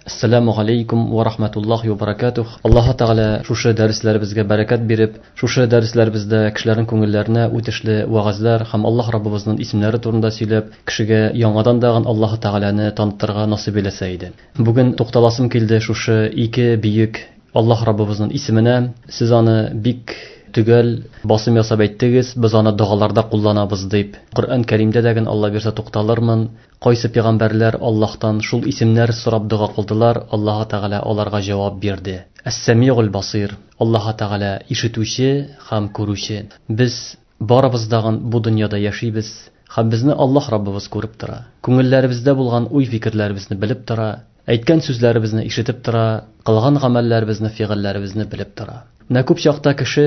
Ассаламу алейкум ва рахматуллахи ва баракатух. Аллаһ Тәгалә шушы дәресләребезгә бәрәкәт биреп, шушы дәресләребездә кешеләрнең күңелләренә үтешле вәгазьләр һәм Аллаһ Раббыбызның исемнәре турында сөйләп, кешегә яңадан дагын Аллаһ Тәгаләне таныттырырга насыйп әйләсә иде. Бүген тукталасым килде шушы ике бөек Аллаһ Раббыбызның исеменә. Сез аны бик төгәл басым ясап әйттегез, без аны догаларда кулланабыз дип. Коръән Кәримдә дә ген Алла бирсә тукталырмын. Кайсы пәйгамбәрләр Аллаһтан шул исемнәр сорап дога кылдылар, Аллаһ Тәгалә аларга җавап бирде. Әс-Сәмигул Басир, Аллаһ Тәгалә ишетүче һәм күрүче. Без барыбыз дагын бу дөньяда яшибез һәм безне Аллаһ Раббыбыз күреп тора. Күңелләребездә булган уй-фикерләребезне белеп тора, әйткән сүзләребезне ишетеп тора, кылган гамәлләребезне, фигыльләребезне белеп тора. Менә күп чакта кеше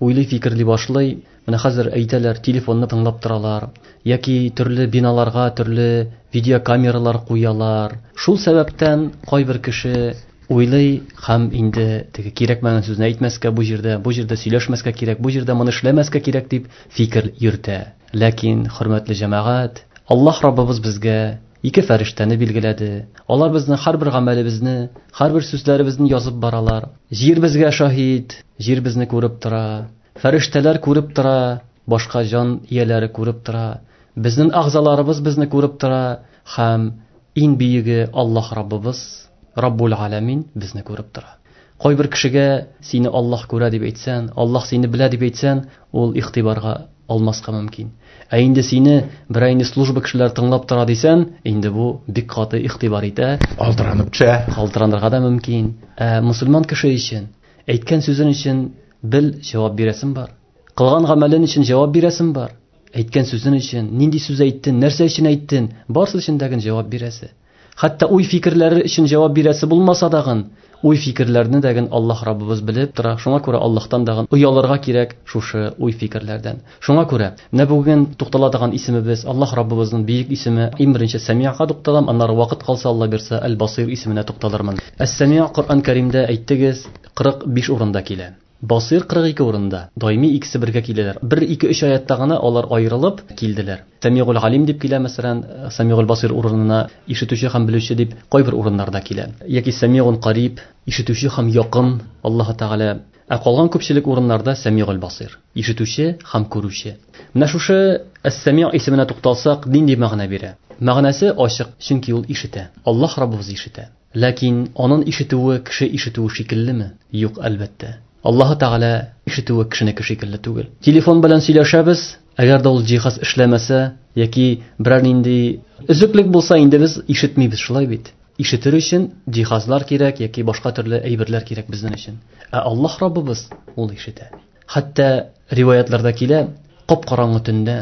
уйлый, фикерли башлый. Менә хәзер әйтәләр, телефонны тыңлап торалар, яки төрле биналарга төрле видеокамералар куялар. Шул сәбәптән кайбер кеше уйлый һәм инде теге кирәкмәгән сүзне әйтмәскә бу җирдә, бу җирдә сөйләшмәскә кирәк, бу җирдә моны эшләмәскә кирәк дип фикер йөртә. Ләкин, хөрмәтле җәмәгать, Аллаһ Раббыбыз безгә ике фәрештәне билгеләде. Алар безнең һәрбер гамәлебезне, һәрбер сүзләребезне язып баралар. Җир безгә шаһит, җир безне күреп тора. Фәрештәләр күреп тора, башка җан ияләре күреп тора. Безнең агзаларыбыз безне күреп тора һәм иң бөеге Аллаһ Раббыбыз, Раббул Аламин безне күреп тора. Кайбер кешегә сине Аллаһ күрә дип әйтсән, Аллаһ сине белә дип әйтсән, ул игътибарга алмаска мөмкин. Ә инде сине берәр инде служба кешеләр тыңлап тора дисән, инде бу бик каты игътибар итә. Калтыранып төшә. Калтыранырга да мөмкин. Ә мусульман кеше өчен әйткән сүзен өчен бел җавап бирәсең бар. Кылган гамәлен өчен җавап бирәсең бар. Әйткән сүзен өчен, нинди сүз әйттең, нәрсә өчен әйттең, барысы өчен дә җавап бирәсе. Хәтта уй фикерләре өчен җавап бирәсе булмаса дагын, уй фикерләрне дәген Аллаһ Раббыбыз белеп тора. Шуңа күрә Аллаһтан дагын оялырга кирәк шушы уй фикерләрдән. Шуңа күрә менә бүген туктала торган исемебез Аллаһ Раббыбызның бөек исеме. Иң беренче Сәми'га тукталам, аннары вакыт калса Алла бирсә Әл-Басир исеменә тукталырмын. Әс-Сәми'г Коръән Кәримдә әйттегез 45 урында килә. Басир 42 урында. Даими икесе бергә киләләр. 1 2 3 аятта гына алар аерылып килделәр. Сәмигул Алим дип килә, мәсәлән, Сәмигул Басир урынына ишетүче һәм белүче дип кайбер урыннарда килә. Яки Сәмигун Кариб, ишетүче һәм якын Аллаһ Тәгалә. Ә калган күпчелек урыннарда Сәмигул Басир, ишетүче һәм күрүче. Менә шушы Әс-Сәми исеменә тукталсак, нинди мәгънә бирә? Мәгънәсе ачык, чөнки ул ишетә. Аллаһ Раббыбыз ишетә. Ләкин анын ишетүе кеше ишетүе шикеллеме? Юк, әлбәттә. Аллаһ Тәгалә ишетүе кешенеке шикелле түгел. Телефон белән сөйләшәбез, әгәр дә ул җиһаз эшләмәсә яки берәр нинди өзеклек булса, инде без ишетмибез, шулай бит? Ишетер өчен җиһазлар кирәк яки башка төрле әйберләр кирәк безнең өчен. Ә Аллаһ Раббыбыз ул ишетә. Хәтта риваятларда килә, кап-караңгы төндә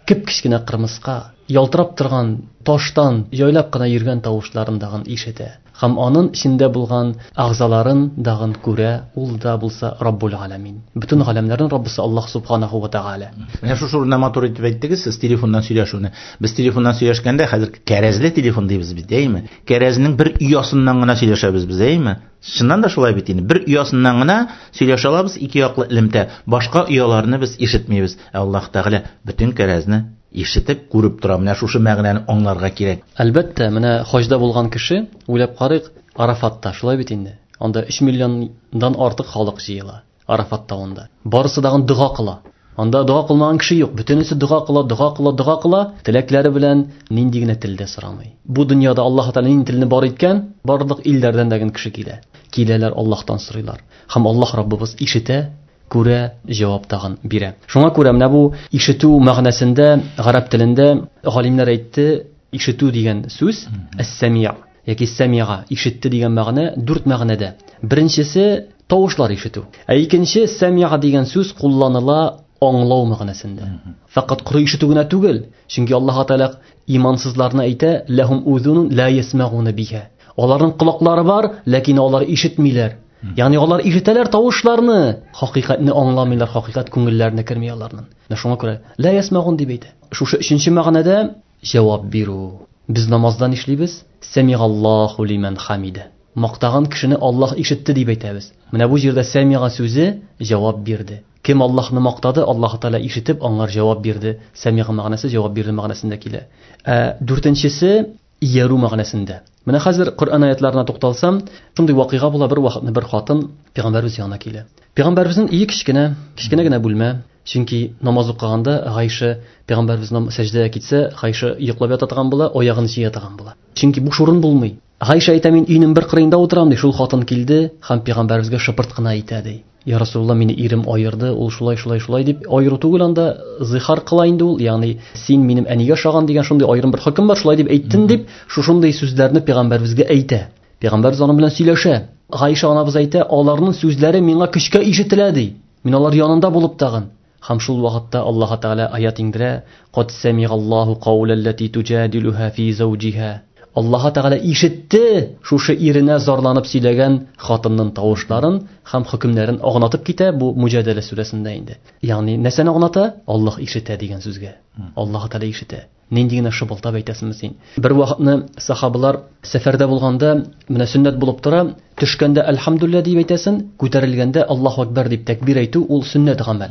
кеп-кечкенә кырмыска ялтырап торган таштан җайлап кына йөргән тавышларын дагын ишетә. Һәм анын эчендә булган агзаларын дагын күрә, ул да булса Раббул Галәмин. Бөтен галәмнәрнең Раббысы Аллаһ Субханаху ва Тәгалә. Менә шушы урында матур итеп әйттегез сез телефоннан сөйләшүне. Без телефоннан сөйләшкәндә хәзер кәрәзле телефон дибез бит, әйеме? Кәрәзнең бер оясыннан гына сөйләшәбез без, әйеме? Чыннан да шулай бит инде. Бер оясыннан гына сөйләшә алабыз, ике яклы элемтә. Башка ояларны без ишетмибез. Ә Аллаһ Тәгалә бөтен кәрәзне ишетеп, күреп тора. Менә шушы мәгънәне аңларга кирәк. Әлбәттә, менә хаҗда булган кеше, уйлап карыйк, Арафатта, шулай бит инде. Анда 3 миллиондан артык халык җыела Арафат тавында. Барысы дагын дога кыла. Анда дога кылмаган кеше юк. Бөтенесе дога кыла, дога кыла, дога кыла. Теләкләре белән нинди генә телдә сорамый. Бу дөньяда Аллаһ Тәгалә нинди телне бар иткән, барлык илләрдән дә кеше килә. Киләләр, Аллаһтан сорыйлар. Һәм Аллаһ Раббыбыз ишетә, күрә, җавап тагын бирә. Шуңа күрә менә бу ишетү мәгънәсендә гарәп телендә галимнәр әйтте, ишетү дигән сүз әс-сәми'а яки сәмига ишетте дигән мәгънә дүрт мәгънәдә. Беренчесе тавышлар ишетү. Ә икенче сәмига дигән сүз кулланыла аңлау мәгънәсендә. Фәкать коры ишетү генә түгел, чөнки Аллаһ Тәгалә имансызларны әйтә, ләһум узунун ла ясмагуна биха. Аларның колаклары бар, ләкин алар ишетмиләр. Ягъни алар ишетәләр тавышларны, хакыйкатьне аңламыйлар, хакыйкать күңелләренә керми аларның. Менә шуңа күрә ла ясмагун дип әйтә. Шушы өченче мәгънәдә җавап бирү. Без намазда нишлибез? Сәмигаллаһу лиман хамида. Мактаган кешене Аллаһ ишетте дип әйтәбез. Менә бу җирдә сәмига сүзе җавап бирде. Кем Аллаһны мактады, Аллаһ Тәгалә ишетеп, аңар җавап бирде. Сәмига мәгънәсе җавап бирде мәгънәсендә килә. Ә дүртенчесе иярү мәгънәсендә. Менә хәзер Коръән аятларына тукталсам, шундый вакыйга була, бер вакытны бер хатын пәйгамбәрбез янына килә. Пәйгамбәрбезнең өе кечкенә, кечкенә генә бүлмә. Чөнки намаз укыганда Гайша пәйгамбәрбез сәҗдәгә китсә, Гайша йоклап ята торган була, аягын җыя торган була. Чөнки буш урын булмый. Гайша әйтә, мин өйнең бер кырыенда утырам, ди. Шул хатын килде һәм пәйгамбәрбезгә шыпырт кына әйтә, ди. Я Расулулла, мине ирем аерды, ул шулай, шулай, шулай дип аеру түгел анда, зихар кыла инде ул, ягъни син минем әнигә ошаган дигән шундый аерым бер хөкем бар, шулай дип әйттең дип, шушындый сүзләрне пәйгамбәрбезгә әйтә. Пәйгамбәрбез аның белән сөйләшә. Гайша анабыз әйтә, аларның сүзләре миңа көчкә ишетелә, ди. Мин алар янында булып тагын. Һәм шул вакытта Аллаһ Тәгалә аят иңдерә: "Кад самигаллаһу каулаллати туҗадилуха фи зауҗиха". Аллаһ Тәгалә ишетте шушы иренә зарланып сөйләгән хатынның тавышларын һәм хөкемнәрен аңлатып китә бу Муҗадәлә сүрәсендә инде. Ягъни нәрсәне аңлата? Аллаһ ишетә дигән сүзгә. Аллаһ Тәгалә ишетә. Нинди генә шыбылтап әйтәсеңме син? Бер вакытны сахабалар сәфәрдә булганда, менә сөннәт булып тора, төшкәндә әлхәмдүлилләһ дип әйтәсең, күтәрелгәндә Аллаһу акбар дип тәкбир әйтү ул сөннәт гамәл.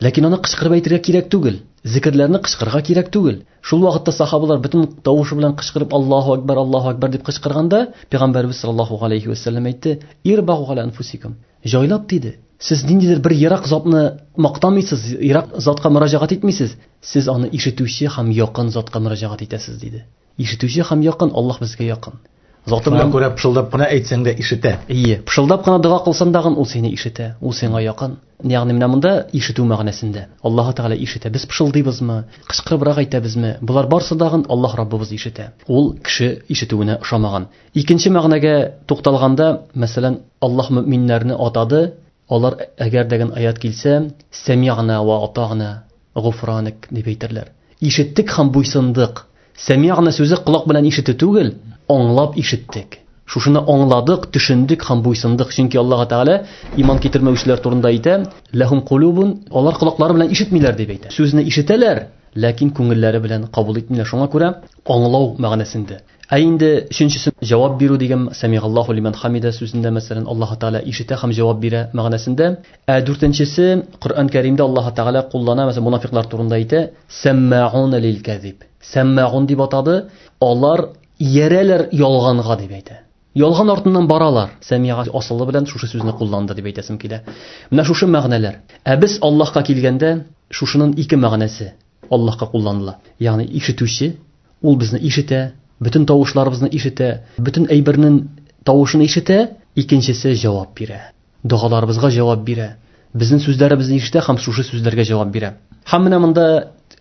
Ләкин аны кычкырып әйтергә кирәк түгел. Зикерләрне кычкырырга кирәк түгел. Шул вакытта сахабалар бөтен тавышы белән кычкырып Аллаһу акбар, Аллаһу акбар дип кычкырганда, Пәйгамбәрбез саллаллаһу алейхи ва сәлләм әйтте: "Ирбагу аля анфусикум". Җайлап диде. Сез ниндидер бер ерак затны мактамыйсыз, ерак затка мөрәҗәгать итмисез. Сез аны ишетүче һәм якын затка мөрәҗәгать итәсез, диде. Ишетүче һәм якын, Аллаһ безгә якын. Заты белән күрә пышылдап кына әйтсәң дә ишетә. Ие, пышылдап кына дога кылсаң дагын ул сине ишетә, ул сиңа якын. Ягъни менә монда ишетү мәгънәсендә. Аллаһ Тәгалә ишетә. Без пышылдыйбызмы, кычкырыбрак әйтәбезме? Болар барсы дагын Аллаһ Раббыбыз ишетә. Ул кеше ишетүенә ошамаган. Икенче мәгънәгә тукталганда, мәсәлән, Аллаһ мөминнәрне атады, алар әгәр дәген аят килсә, сәми'на ва атa'на гуфранак дип әйтерләр. Ишеттек һәм буйсындык. Сәми'на сүзе колак белән ишетү түгел, аңлап ишеттек. Шушыны аңладык, төшендек һәм буйсындык. Чөнки Аллаһ Тәгалә иман китермәүчеләр турында әйтә, ләһум кулубун, алар колаклары белән ишетмиләр дип әйтә. Сүзне ишетәләр, ләкин күңелләре белән кабул итмиләр. Шуңа күрә аңлау мәгънәсендә. Ә инде өченчесе җавап бирү дигән сәмигаллаһу лиман хамида сүзендә, мәсәлән, Аллаһ Тәгалә ишетә һәм җавап бирә мәгънәсендә. Ә дүртенчесе Коръән Кәримдә Аллаһ Тәгалә куллана, мәсәлән, мунафиклар турында әйтә, сәммаун лил казиб. Сәммаун дип атады, алар иярәләр ялганга дип әйтә. Ялган артыннан баралар. Сәмига асылы белән шушы сүзне кулланды дип әйтәсем килә. Менә шушы мәгънәләр. Ә без Аллаһка килгәндә, шушының ике мәгънәсе Аллаһка кулланыла. Ягъни ишетүче, ул безне ишетә, бөтен тавышларыбызны ишетә, бөтен әйбернең тавышын ишетә, икенчесе җавап бирә. Догаларыбызга җавап бирә. Безнең сүзләребезне ишетә һәм шушы сүзләргә җавап бирә. Һәм менә монда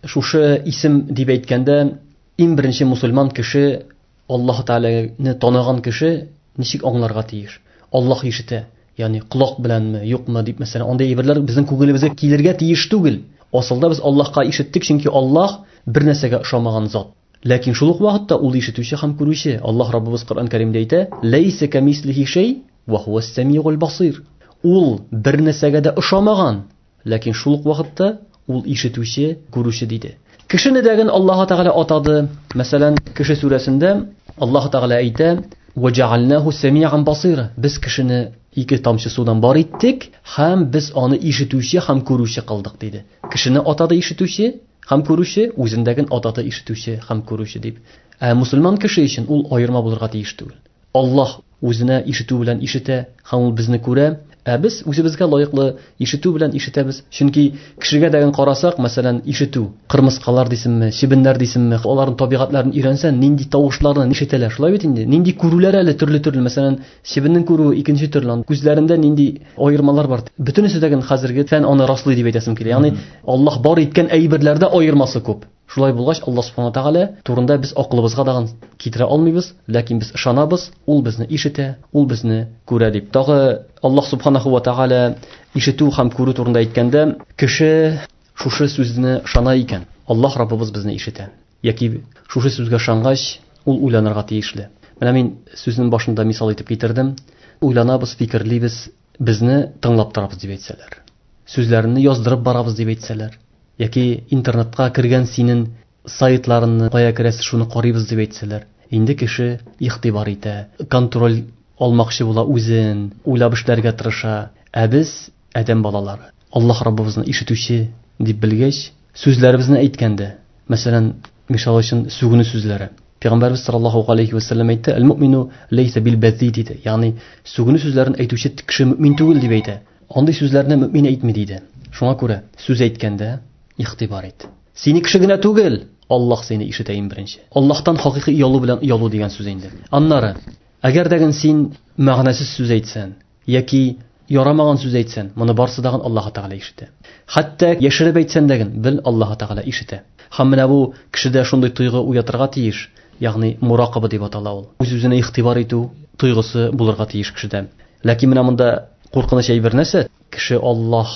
шушы исем дип әйткәндә, иң беренче мусульман кеше, Аллаһ Тәгаләне таныган кеше ничек аңларга тиеш? Аллаһ ишетә, ягъни колак беләнме, юкмы дип, мәсәлән, андый әйберләр безнең күңелебезгә килергә тиеш түгел. Асылда без Аллаһка ишеттек, чөнки Аллаһ бер нәрсәгә ошамаган зат. Ләкин шул ук вакытта ул ишетүче һәм күрүче. Аллаһ Раббыбыз Коръән Кәримдә әйтә: "Ләйсә камислихи шәй ва хуас самигул басир". Ул бер нәрсәгә дә ошамаган, ләкин шул ук вакытта ул ишетүче, күрүче диде. Кешене дәген Аллаһ Тәгалә атады. Мәсәлән, Кеше сүрәсендә Аллаһ Тәгалә әйтә: "Ва җаалнаху самиан басира". Без кешене ике тамчы судан бар иттек һәм без аны ишетүче һәм күрүче кылдык диде. Кешене атады ишетүче һәм күрүче, үзендәген атады ишетүче һәм күрүче дип. Ә мусульман кеше өчен ул аерма булырга тиеш түгел. Аллаһ үзенә ишетү белән ишетә һәм ул безне күрә, ә без үзебезгә лаеклы ишетү белән ишетәбез. Чөнки кешегә дәген карасак, мәсәлән, ишетү, кырмыскалар дисеңме, чебеннәр дисеңме, аларның табигатьләрен өйрәнсәң, нинди тавышларны ишетәләр, шулай бит инде. Нинди күрүләр әле төрле-төрле, мәсәлән, чебеннең күрүе икенче төрле, күзләрендә нинди аермалар бар. Бөтенесе дәген хәзерге фән аны раслый дип әйтәсем килә. Ягъни Аллаһ бар иткән әйберләрдә аермасы күп. Шулай булгач, Аллаһ субхана тәгалә турында без акылыбызга дагын китерә алмыйбыз, ләкин без ышанабыз, ул безне ишетә, ул безне күрә дип. Тагы Аллаһ субханаху ва тәгалә ишетү һәм күрү турында әйткәндә, кеше шушы сүзне ышана икән, Аллаһ Раббыбыз безне ишетә. Яки шушы сүзгә ышангач, ул уйланырга тиешле. Менә мин сүзнең башында мисал итеп китердем. Уйланабыз, фикерлибез, безне тыңлап торабыз дип әйтсәләр. Сүзләрне яздырып барабыз дип әйтсәләр. Яки интернетка кергән синең сайтларыңны кая керәсез, шуны карыйбыз дип әйтсәләр. Инде кеше игътибар итә, контроль алмакчы була үзен, уйлап эшләргә тырыша. Ә без адәм балалары, Аллаһ Раббыбызны ишетүче дип белгәч, сүзләребезне әйткәндә, мәсәлән, мисал өчен сүгенү сүзләре. Пәйгамбәрбез саллаллаһу алейхи ва саллям әйтте: "Әл-муъмину лейса бил-бази" диде. Ягъни сүгенү сүзләрен әйтүче кеше мөмин түгел дип әйтә. Андый сүзләрне мөмин әйтми диде. Шуңа күрә сүз әйткәндә игътибар ит. Сине кеше генә түгел, Аллаһ сине ишетә иң беренче. Аллаһтан хакыйкый оялу белән оялу дигән сүз инде. Аннары, әгәр дә син мәгънәсез сүз әйтсән яки ярамаган сүз әйтсән, моны барсы дагын Аллаһ Тәгалә ишетә. Хәтта яшереп әйтсән дә бел, Аллаһ Тәгалә ишетә. Һәм менә бу кешедә шундый тойгы уятырга тиеш, ягъни муракаба дип атала ул. Үз-үзенә игътибар итү тойгысы булырга тиеш кешедә. Ләкин менә монда куркыныч әйбер нәрсә? Кеше Аллаһ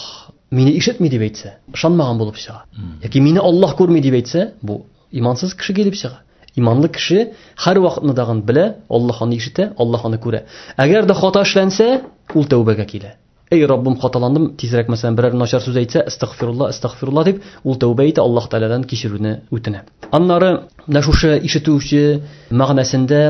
мине ишетми дип әйтсә, ышанмаган булып чыга. Яки мине Аллаһ күрми дип әйтсә, бу имансыз кеше килеп чыга. Иманлы кеше һәр вакытны дагын белә, Аллаһ аны ишетә, Аллаһ аны күрә. Әгәр дә хата эшләнсә, ул тәүбәгә килә. Эй Раббым, хаталандым, тизрәк мәсәлән берәр начар сүз әйтсә, астагфирулла, астагфирулла дип, ул тәүбә итә, Аллаһ Тәгаләдән кичерүне үтенә. Аннары менә шушы ишетүче мәгънәсендә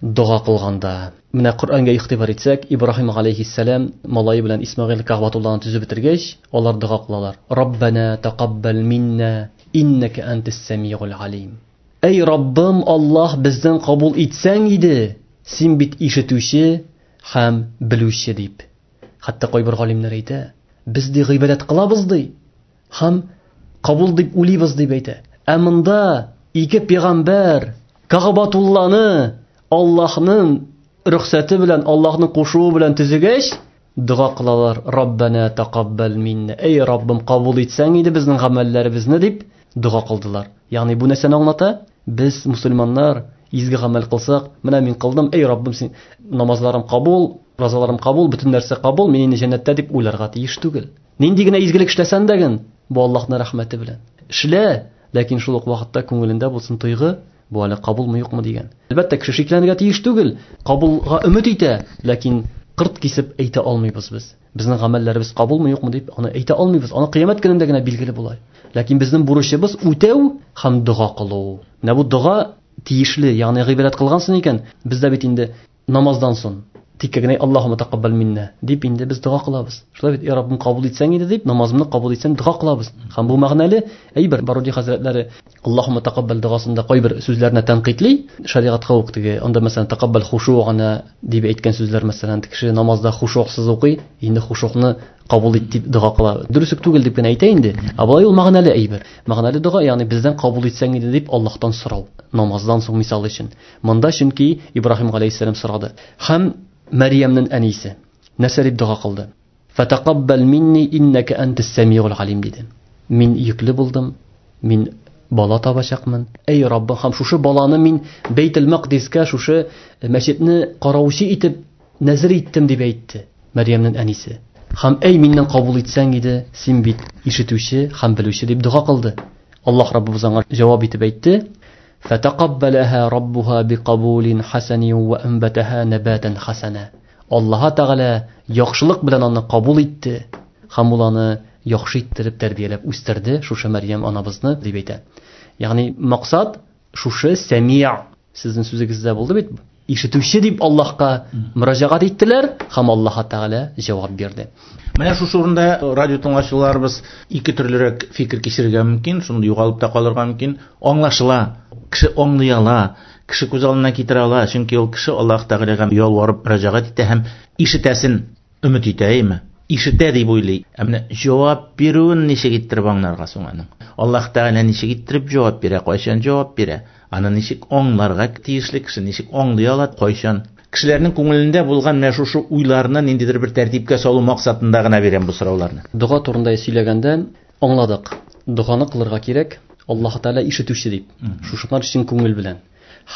дога кылганда, менә Коръәнгә игътибар итсәк, Ибраһим алейхиссәлам малае белән Исмәгыйль Кәгъбәтулланы төзеп бетергәч, алар дога кылалар. Раббана тақаббал минна иннака антас самиул алим. Эй Раббым, Аллаһ, бездән кабул итсәң иде, син бит ишетүче һәм белүче дип. Хәтта кайбер галимнәр әйтә, без ди гыйбадәт кылабыз ди, һәм кабул дип уйлыйбыз дип әйтә. Ә монда ике пәйгамбәр Кәгъбәтулланы Аллаһның рөхсәте белән, Аллаһның кушуы белән төзегәч, дога кылалар. Раббана тақаббал минна. Эй Раббым, кабул итсәң иде безнең гамәлләребезне дип дога кылдылар. Ягъни бу нәрсәне аңлата? Без мусульманнар изге гамәл кылсак, менә мин кылдым, эй Раббым, син намазларым кабул, разаларым кабул, бөтен нәрсә кабул, мин инде җәннәттә дип уйларга тиеш түгел. Нинди генә изгелек эшләсәң дә ген, бу Аллаһның рәхмәте белән. Эшлә, ләкин шул ук вакытта күңелендә булсын тойгы, бу әле кабулмы юкмы дигән. Әлбәттә, кеше шикләнергә тиеш түгел, кабулга өмет итә, ләкин кырт кисеп әйтә алмыйбыз без. Безнең гамәлләребез кабулмы юкмы дип аны әйтә алмыйбыз. Аны кыямәт көнендә генә билгеле була. Ләкин безнең бурычыбыз үтәү һәм дога кылу. Менә бу дога тиешле, ягъни гыйбадәт кылгансың икән, бездә бит инде намаздан соң тик генә Аллаһумма тақаббал минна дип инде без дога кылабыз. Шулай бит, я Раббым, кабул итсәң иде дип намазымны кабул итсәң дога кылабыз. Һәм бу мәгънәле әйбер. Баруди хәзрәтләре Аллаһумма тақаббал догасында кайбер сүзләрне тәнкыйтьли, шәригатькә ук теге, анда мәсәлән тақаббал хушугана дип әйткән сүзләр, мәсәлән, кеше намазда хушуксыз укый, инде хушукны кабул ит дип дога кыла. Дөрес үк түгел дип кенә әйтә инде. Ә болай ул мәгънәле әйбер. Мәгънәле дога, ягъни бездән кабул итсәң иде дип Аллаһтан сорау. Намаздан соң мисал өчен. Монда чөнки Ибраһим алейхиссәлам сорады. Һәм Мәрьямнең әнисе нәрсә дип дога кылды? Фатақаббал минни иннака антас самиул алим диде. Мин йөкле булдым, мин бала табачакмын. Эй Раббым, һәм шушы баланы мин Бәйтел Мaqдискә, шушы мәчетне караучы итеп нәзер иттем дип әйтте Мәрьямнең әнисе. Һәм эй миннән кабул итсәң иде, син бит ишетүче һәм белүче дип дога кылды. Аллаһ Раббыбыз аңа җавап итеп әйтте: Фатақаббалаха раббуха биқабулин хасанин ва анбатаха набатан хасана. Аллаһ Тәгалә яхшылык белән аны кабул итте һәм ул аны яхшы иттереп тәрбияләп үстерде шушы Мәрьям анабызны дип әйтә. Ягъни максат шушы сәмия, сезнең сүзегездә булды бит, ишетүче дип Аллаһка мөрәҗәгать иттеләр һәм Аллаһ Тәгалә җавап бирде. Менә шушы урында радио тыңлаучыларыбыз ике төрлерәк фикер кичерергә мөмкин, шундый югалып та калырга мөмкин. Аңлашыла, кеше аңлый ала, кеше күз алдына китерә ала, чөнки ул кеше Аллаһ Тәгаләгә ялварып мөрәҗәгать итә һәм ишетәсен өмет итә, әйме? Ишетә дип уйлый. Ә менә җавап бирүен ничек иттереп аңларга соң аның? Аллаһ Тәгалә ничек иттереп җавап бирә, кайчан җавап бирә? Аны ничек аңларга тиешле кеше, ничек аңлый ала, кайчан? Кешеләрнең күңелендә булган менә шушы уйларны ниндидер бер тәртипкә салу максатында гына бирәм бу сорауларны. Дога турында сөйләгәндә аңладык. Доганы кылырга кирәк, Аллаһ Тәгалә ишетүче дип. Шушылар чын күңел белән.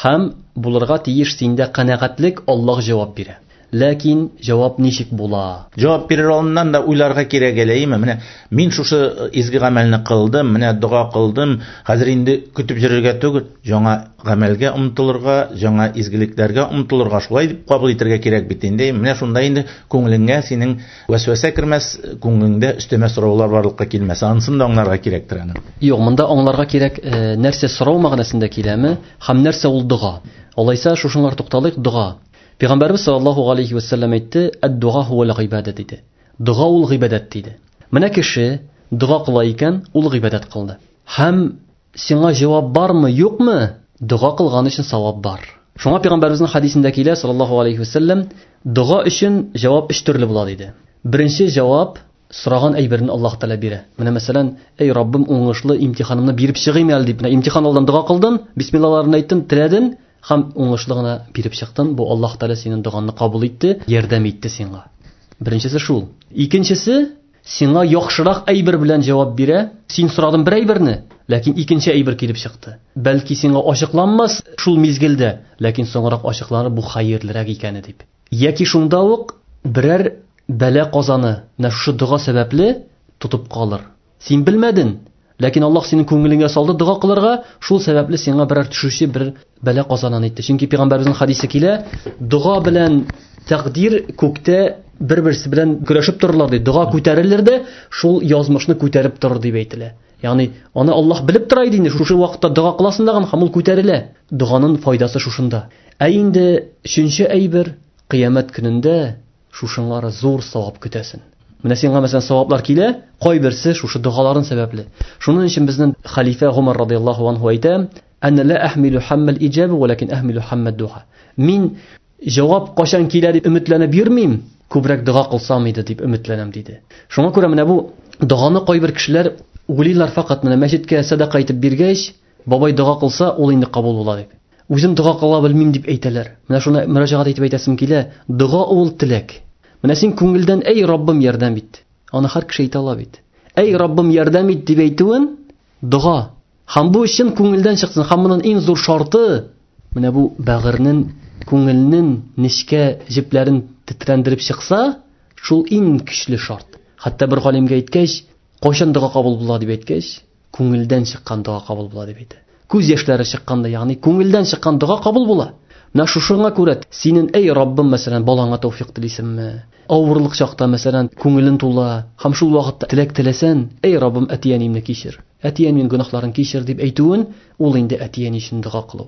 Һәм булырга тиеш синдә канәгатьлек, Аллаһ җавап бирә. Ләкин җавап ничек була? Җавап бирер алдыннан да уйларга кирәк әле, әйеме? Менә мин шушы изге гамәлне кылдым, менә дога кылдым, хәзер инде көтеп йөрергә түгел, яңа гамәлгә омтылырга, яңа изгелекләргә омтылырга, шулай дип кабул итәргә кирәк бит инде. Менә шунда инде күңелеңә синең вәсвәсә кермәс, күңелеңдә өстәмә сораулар барлыкка килмәс. Анысын да аңларга кирәктер аны. Юк, монда аңларга кирәк, нәрсә сорау мәгънәсендә киләме һәм нәрсә ул дога. Алайса шушыңар тукталыйк, дога. Пәйгамбәрбез саллаллаһу алейхи ва саллям әйтте, ад-дуа хуа гыйбадат диде. Дога ул гыйбадәт диде. Менә кеше дога кыла икән, ул гыйбадәт кылды. Һәм сиңа җавап бармы, юкмы? Дога кылган өчен савап бар. Шуңа пәйгамбәребезнең хадисендә килә, саллаллаһу алейхи вәсәлләм, дога өчен җавап өч төрле була диде. Беренче җавап сораган әйберне Аллаһ Тәгалә бирә. Менә мәсәлән, эй Раббым, уңышлы имтиханымны биреп чыгыйм әле дип, менә имтихан алдан дога кылдың, бисмиллаларны әйттең, теләдең һәм уңышлы гына биреп чыктың. Бу Аллаһ Тәгалә синең догаңны кабул итте, ярдәм итте сиңа. Беренчесе шул. Икенчесе, сиңа яхшырак әйбер белән җавап бирә. Син сорадың бер әйберне, ләкин икенче әйбер килеп чыкты. Бәлки сиңа ачыкланмас шул мизгелдә, ләкин соңрак ачыкланыр бу хәерлерәк икәне дип. Яки шунда ук берәр бәла казаны менә шушы дога сәбәпле тотып калыр. Син белмәдең, ләкин Аллаһ синең күңелеңә салды дога кылырга, шул сәбәпле сиңа берәр төшүче бер бәла казанын итте. Чөнки пәйгамбәребезнең хадисе килә, дога белән тәкъдир күктә бер-берсе белән көрәшеп торырлар ди. Дога күтәрелер дә, шул язмышны күтәреп торыр дип әйтелә. Ягъни аны Аллаһ белеп тора иде инде, шушы вакытта дога кыласың дагын һәм ул күтәрелә. Доганың файдасы шушында. Ә инде өченче әйбер, кыямәт көнендә шушыңлары зур савап көтәсен. Менә сиңа мәсәлән саваплар килә, кайберсе шушы догаларын сәбәпле. Шуның өчен безнең халифә Гомар радияллаһу анһу әйтә: "Ана ла ахмилу хаммал иҗаба, валакин ахмилу хаммад дуа." Мин җавап кайчан килә дип өметләнеп йөрмим, күбрәк дога кылсам иде дип өметләнәм диде. Шуңа күрә менә бу доганы кайбер кешеләр уйлыйлар, факат менә мәчеткә сәдака итеп биргәч, бабай дога кылса, ул инде кабул була дип. Үзем дога кыла белмим дип әйтәләр. Менә шуны мөрәҗәгать итеп әйтәсем килә, дога ул теләк. Менә син күңелдән эй Раббым ярдәм ит. Аны һәр кеше әйтә ала бит. Эй Раббым ярдәм ит дип әйтүен дога. Һәм бу чын күңелдән чыксын. Һәм моның иң зур шарты менә бу бәгырьнең, күңелнең нечкә җепләрен тетрәндереп чыкса, шул иң көчле шарт. Хәтта бер галимгә әйткәч, кайчан дога кабул була дип әйткәч, күңелдән чыккан дога кабул була дип әйтә. Күз яшьләре чыкканда, ягъни күңелдән чыккан дога кабул була. Менә шушыңа күрә синең эй Раббым, мәсәлән, балаңа тәүфик телисеңме? Авырлык чакта, мәсәлән, күңелең тула һәм шул вакытта теләк теләсәң, эй Раббым, әти-әниемне кичер. Әти-әниемнең гөнаһларын кичер дип әйтүен, ул инде әти-әни өчен дога кылу.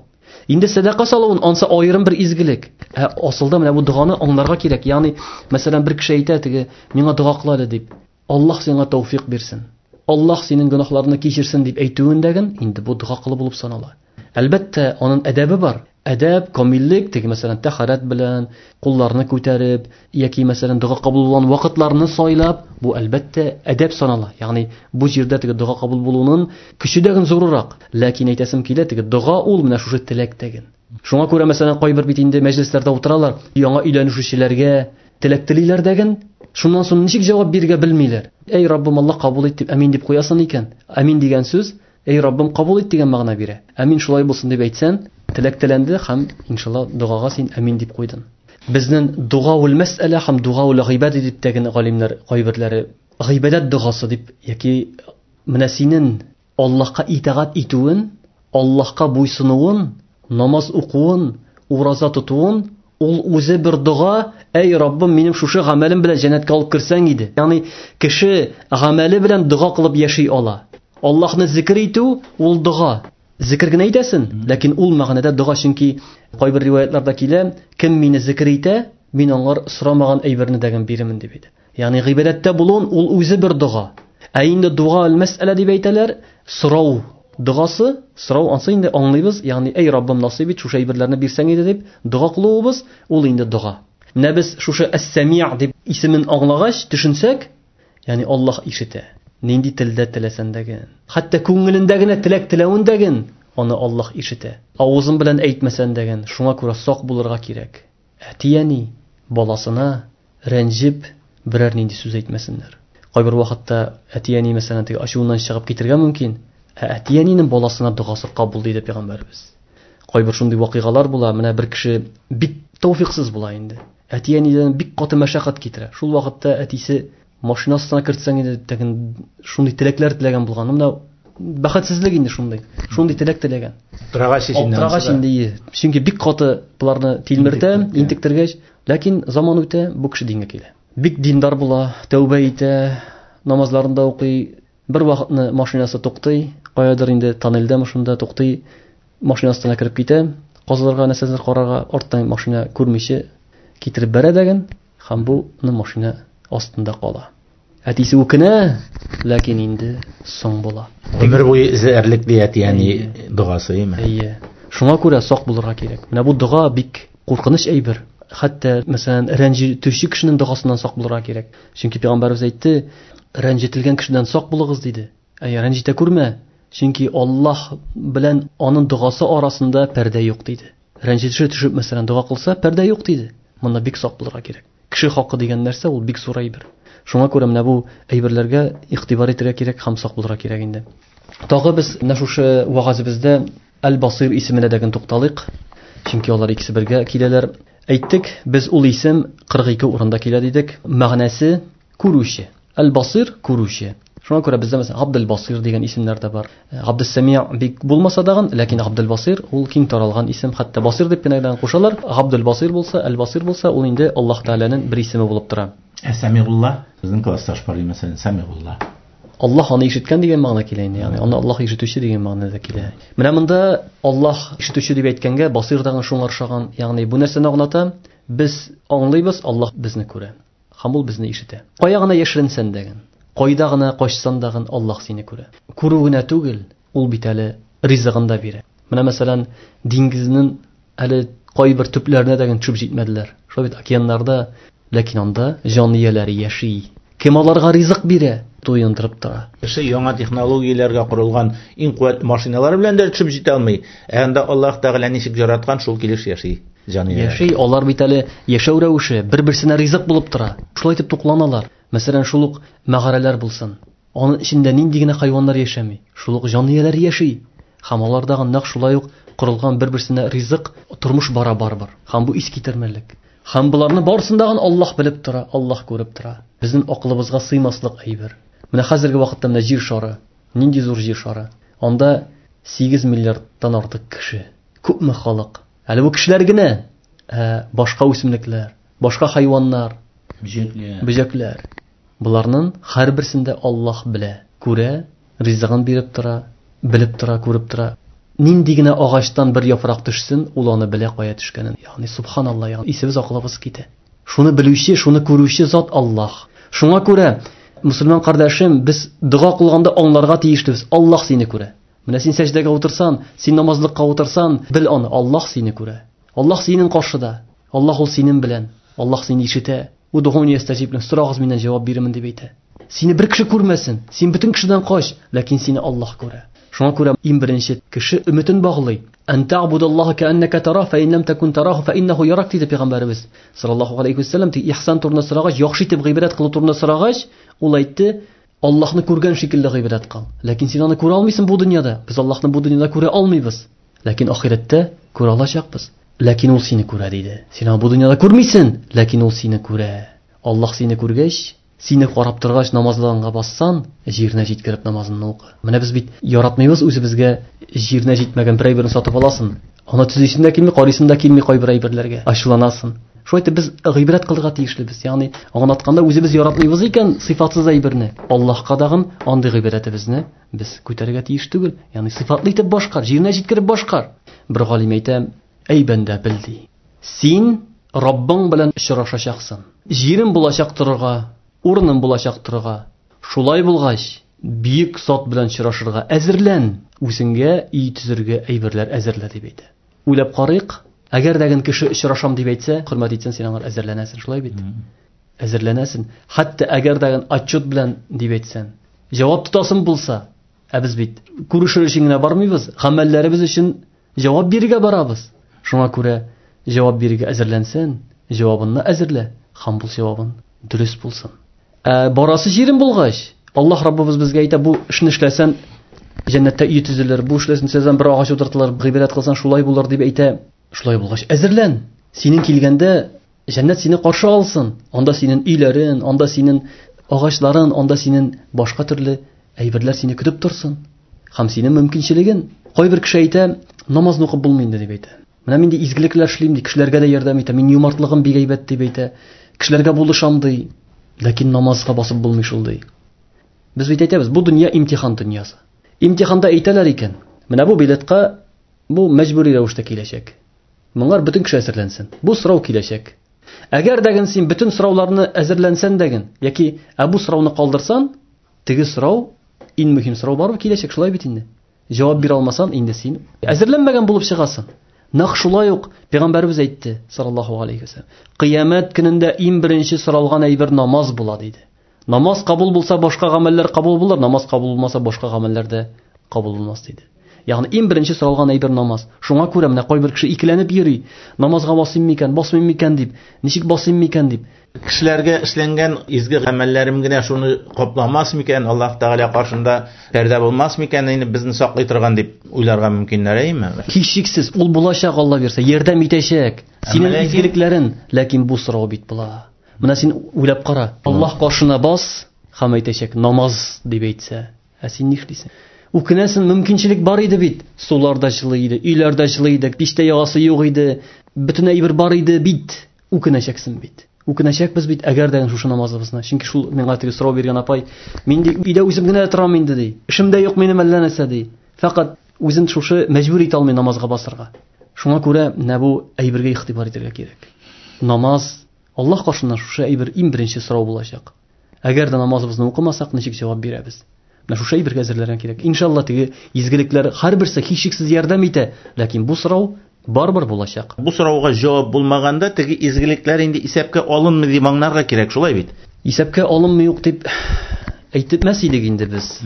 Инде сәдака салуын ансы аерым бер изгелек. Ә асылда менә бу доганы аңларга кирәк. Ягъни, мәсәлән, бер кеше әйтә теге, миңа дога кыл әле дип. Аллаһ сиңа тәүфик бирсен. Аллаһ синең гөнаһларыңны кичерсен дип әйтүендәген инде бу дога кылу булып санала. Әлбәттә, аның әдәбе бар. Әдәп, камиллек, теге мәсәлән, тәһарәт белән, кулларны күтәреп, яки мәсәлән, дога кабул булган вакытларны сайлап, бу әлбәттә әдәп санала. Ягъни бу җирдә теге дога кабул булуның көче дә зуррак. Ләкин әйтәсем килә, теге дога ул менә шушы теләк тәген. Шуңа күрә мәсәлән, кайбер бит инде мәҗлесләрдә утыралар, яңа өйләнешүчеләргә теләк телиләр дәген, шуннан соң ничек җавап бирергә белмиләр. Эй Раббым, Аллаһ кабул ит дип амин дип куясың икән. Амин дигән сүз эй Раббым кабул ит дигән мәгънә бирә. Амин шулай булсын дип әйтсәң, теләк теләнде һәм иншалла догага син амин дип куйдың. Безнең дога ул мәсьәлә һәм дога ул гыйбадәт дип тәген галимнәр кайберләре гыйбадәт догасы дип яки менә синең Аллаһка итагать итүен, Аллаһка буйсынуын, намаз укуын, ураза тотуын ул үзе бер дога, эй Раббым, минем шушы гамәлем белән җәннәткә алып керсәң иде. Ягъни кеше гамәле белән дога кылып яши ала. Аллаһны зикр итү ул дога. Зикр генә әйтәсең, ләкин ул мәгънәдә дога, чөнки кайбер риваятларда килә, кем мине зикр итә, мин аңар сорамаган әйберне дә бирермен дип әйтә. Ягъни гыйбадәттә булуын ул үзе бер дога. Ә инде дога әл-мәсьәлә дип әйтәләр, сорау догасы, сорау ансы инде аңлыйбыз, ягъни эй Раббым насыйп ит, шушы әйберләрне бирсәң иде дип дога кылуыбыз, ул инде дога. Менә без шушы әс-Сәми' дип исемен аңлагач, төшенсәк, ягъни Аллаһ ишетә. Нинди телдә теләсәң дә, хәтта күңелендә генә теләк теләвен дә аны Аллаһ ишетә. Авызың белән әйтмәсәң дә, шуңа күрә сак булырга кирәк. Әти-әни баласына рәнҗеп берәр нинди сүз әйтмәсеннәр. Кайбер вакытта әти-әни мәсәлән теге ачуыннан чыгып китергә мөмкин, ә әти-әнинең баласына догасы кабул диде пәйгамбәребез. Кайбер шундый вакыйгалар була, менә бер кеше бик тәүфиксыз була инде. Әти-әнидән бик каты мәшәкать китерә. Шул вакытта әтисе машина астына кертсәң иде дип шундый теләкләр теләгән булган. Менә бәхетсезлек инде шундый. Шундый теләк теләгән. Аптырагач инде. Аптырагач инде. Чөнки бик каты боларны тилмертә, интектергәч, ләкин заман үтә, бу кеше дингә килә. Бик диндар була, тәүбә итә, намазларын да укый. Бер вакытны машинасы туктый, каядыр инде тоннельдәме шунда туктый, машина астына кереп китә, казыларга нәрсәләр карарга, арттан машина күрмичә китереп бәрә дәген, һәм бу машина астында кала. Әтисе үкенә, ләкин инде соң була. Гомер буе эзләрлек ди әти-әни догасы, әйме? Әйе. Шуңа күрә сак булырга кирәк. Менә бу дога бик куркыныч әйбер. Хәтта, мәсәлән, рәнҗетүче кешенең догасыннан сак булырга кирәк. Чөнки пәйгамбәребез әйтте, рәнҗетелгән кешедән сак булыгыз диде. Әй, рәнҗетә күрмә, чөнки Аллаһ белән аның догасы арасында пәрдә юк диде. Рәнҗетеше төшеп, мәсәлән, дога кылса, пәрдә юк диде. Монда бик сак булырга кирәк. Кеше хакы дигән нәрсә ул бик зур әйбер. Шуңа күрә менә бу әйберләргә игътибар итәргә кирәк һәм сак булырга кирәк инде. Тагы без менә шушы вәгазебездә Әл-Басир исеменә дә генә тукталыйк. Чөнки алар икесе бергә киләләр. Әйттек, без ул исем 42 урында килә дидек. Мәгънәсе күрүче. Әл-Басир күрүче. Шуңа күрә бездә мәсәлән Габдел-Басир дигән исемнәр дә бар. Габдес-Сәмия бик булмаса дагын, ләкин Габдел-Басир ул киң таралган исем. Хәтта Басир дип кенә дә кушалар. Габдел-Басир булса, Әл-Басир булса, ул инде Аллаһ Тәгаләнең бер исеме булып тора. Ә Сәмигулла? Безнең классташ бар, мәсәлән, Сәмигулла. Аллаһ аны ишеткән дигән мәгънә килә инде, ягъни аны Аллаһ ишетүче дигән мәгънәдә килә. Менә монда Аллаһ ишетүче дип әйткәнгә Басир дагын шуңа охшаган, ягъни бу нәрсәне аңлата? Без аңлыйбыз, Аллаһ безне күрә. Һәм ул безне ишетә. Кая гына яшеренсән дәген, кайда гына качсан дагын Аллаһ сине күрә. Күрү генә түгел, ул бит әле ризыгын да бирә. Менә мәсәлән, диңгезнең әле кайбер төпләренә дә төшеп җитмәделәр. Шулай бит океаннарда, ләкин анда җан ияләре яши. Кем аларга ризык бирә, туендырып тора. Кеше яңа технологияләргә корылган иң куәтле машиналар белән дә төшеп җитә алмый. Ә анда Аллаһ Тәгалә ничек яраткан, шул килеш яши җан ияләре. Яши, алар бит әле яшәү рәвеше бер-берсенә ризык булып тора. Шулай итеп тукланалар. Мәсәлән, шул ук мәгарәләр булсын. Аның эчендә нинди генә хайваннар яшәми. Шул ук җан ияләре яши. Һәм алардагы нәкъ шулай ук корылган бер-берсенә ризык, тормыш бара барыбер. Һәм бу искитәрмәлек. Һәм боларны барысын дагын Аллаһ белеп тора, Аллаһ күреп тора. Безнең акылыбызга сыймаслык әйбер. Менә хәзерге вакытта менә җир шары. Нинди зур җир шары. Анда 8 миллиардтан артык кеше. Күпме халык. Әле бу кешеләр генә, ә башка үсемлекләр, башка хайваннар, бөҗәкләр. Бөҗәкләр. Боларның һәрберсен дә Аллаһ белә, күрә, ризыгын биреп тора, белеп тора, күреп тора. Нинди генә агачтан бер яфрак төшсен, ул аны белә кая төшкәнен. Ягъни субханаллаһ, ягъни исебез акылыбыз китә. Шуны белүче, шуны күрүче зат Аллаһ. Шуңа күрә, мусульман кардәшем, без дога кылганда аңларга тиешлебез. Аллаһ сине күрә. Менә син сәҗдәгә утырсан, син намазлыкка утырсан, бел аны, Аллаһ сине күрә. Аллаһ синең каршыда. Аллаһ ул синең белән. Аллаһ сине ишетә. Удугуни астажиб ләкум, сорагыз миннән җавап бирермен дип әйтә. Сине бер кеше күрмәсен, син бөтен кешедән кач, ләкин сине Аллаһ күрә. Шуңа күрә иң беренче кеше өметен баглый. Ан та'будаллаһа кa'аннака тараһ, фа ин лам такун тараһу фа иннаху ярак диде пәйгамбәребез саллаллаһу алейхи ва саллям. Тик ихсан турында сорагач, яхшы итеп гыйбадәт кылу турында сорагач, ул әйтте, Аллаһны күргән шикелле гыйбадәт кыл. Ләкин син аны күрә алмыйсың бу дөньяда. Без Аллаһны бу дөньяда күрә алмыйбыз. Ләкин ахирәттә күрә алачакбыз. Ләкин ул сине күрә диде. Син аны бу дөньяда күрмисең, ләкин ул сине күрә. Аллаһ сине күргәч, сине карап торгач, намазлыгыңа бассан, җиренә җиткереп намазыңны укы. Менә без бит яратмыйбыз үзебезгә җиренә җитмәгән бер әйберне сатып аласың. Аны төзисең дә килми, карыйсың да килми кайбер әйберләргә. Ачуланасың. Шулай итеп без гыйбрәт кылырга тиешлебез. Ягъни аңлатканда үзебез яратмыйбыз икән сыйфатсыз әйберне, Аллаһка дагын андый гыйбадәтебезне без күтәрергә тиеш түгел. Ягъни сыйфатлы итеп башкар, җиренә җиткереп башкар. Бер галим әйтә, әй бәндә, бел ди. Син Раббың белән очрашачаксың. Җирем булачак торырга, урыным булачак торырга. Шулай булгач, бөек зат белән очрашырга әзерлән, үзеңгә өй төзергә әйберләр әзерлә дип әйтә. Уйлап карыйк, әгәр дә ген кеше очрашам дип әйтсә, хөрмәт итсәң, син аңар әзерләнәсең, шулай бит? Әзерләнәсең. Хәтта әгәр дә ген отчет белән дип әйтсәң, җавап тотасың булса, ә без бит күрешер өчен генә бармыйбыз, гамәлләребез өчен җавап бирергә барабыз. Шуңа күрә җавап бирергә әзерләнсән, җавабыңны әзерлә, һәм бу җавабың дөрес булсын. Ә барасы җирем булгач, Аллаһ Раббыбыз безгә әйтә, бу эшне эшләсән, җәннәттә өй төзелер, бу эшләсән, эшләсән, бер агач утыртылыр, гыйбадәт кылсаң, шулай булыр дип әйтә. Шулай булгач, әзерлән. Синең килгәндә җәннәт сине каршы алсын. Анда синең өйләрен, анда синең агачларын, анда синең башка төрле әйберләр сине көтеп торсын. Һәм синең мөмкинчелеген. Кайбер кеше әйтә, намазны укып булмый инде дип әйтә. Менә мин ди изгелекләр эшлим ди, кешеләргә дә ярдәм итәм, мин юмартлыгым бик әйбәт дип әйтә. Кешеләргә булышам ди. Ләкин намазга басып булмый шул ди. Без бит әйтәбез, бу дөнья имтихан дөньясы. Имтиханда әйтәләр икән, менә бу билетка бу мәҗбүри рәвештә киләчәк. Моңар бөтен кеше әзерләнсен. Бу сорау киләчәк. Әгәр дә син бөтен сорауларны әзерләнсән дә яки ә бу сорауны калдырсан, теге сорау, иң мөһим сорау барыбер киләчәк, шулай бит инде. Җавап бирә алмасаң, инде син әзерләнмәгән булып чыгасың. Нәкъ шулай ук Пәйгамбәребез әйтте, саллаллаһу алейхи ва саллям, кыямәт көнендә иң беренче соралган әйбер намаз була диде. Намаз кабул булса, башка гамәлләр кабул булыр, намаз кабул булмаса, башка гамәлләр дә кабул булмас диде. Ягъни иң беренче соралган әйбер намаз. Шуңа күрә менә кайбер кеше икеләнеп йөри. Намазга басыйм микән, басмыйм микән дип, ничек басыйм микән дип. Кешеләргә эшләнгән изге гамәлләрем генә шуны капламас микән, Аллаһ Тәгалә каршында пәрдә булмас микән, инде безне саклый торган дип уйларга мөмкиннәр, әйеме? Һичшиксез, ул булачак, Алла бирсә, ярдәм итәчәк. Синең изгелекләрен, ләкин бу сорау бит була. Менә син уйлап кара. Аллаһ каршына бас һәм әйтәчәк, намаз дип әйтсә, ә син нишлисең? Үкенәсең, мөмкинчелек бар иде бит. Сулар да җылы иде, өйләр дә җылы иде, пичтә ягасы юк иде, бөтен әйбер бар иде бит. Үкенәчәксең бит. Үкенәчәкбез бит, әгәр дә шушы намазыбызны. Чөнки шул миңа теге сорау биргән апай, мин ди, өйдә үзем генә торам инде ди. Эшем дә юк минем әллә нәрсә ди. Фәкать үзен шушы мәҗбүр итә алмый намазга басырга. Шуңа күрә менә бу әйбергә игътибар итәргә кирәк. Намаз Аллаһ каршында шушы әйбер иң беренче сорау булачак. Әгәр дә намазыбызны укымасак, ничек җавап бирәбез? Менә шушы әйбергә әзерләргә кирәк. Иншалла, теге изгелекләр һәрберсе һичшиксез ярдәм итә, ләкин бу сорау барыбер булачак. Бу сорауга җавап булмаганда, теге изгелекләр инде исәпкә алынмый дип аңларга кирәк, шулай бит? Исәпкә алынмый юк дип әйтмәс идек инде без.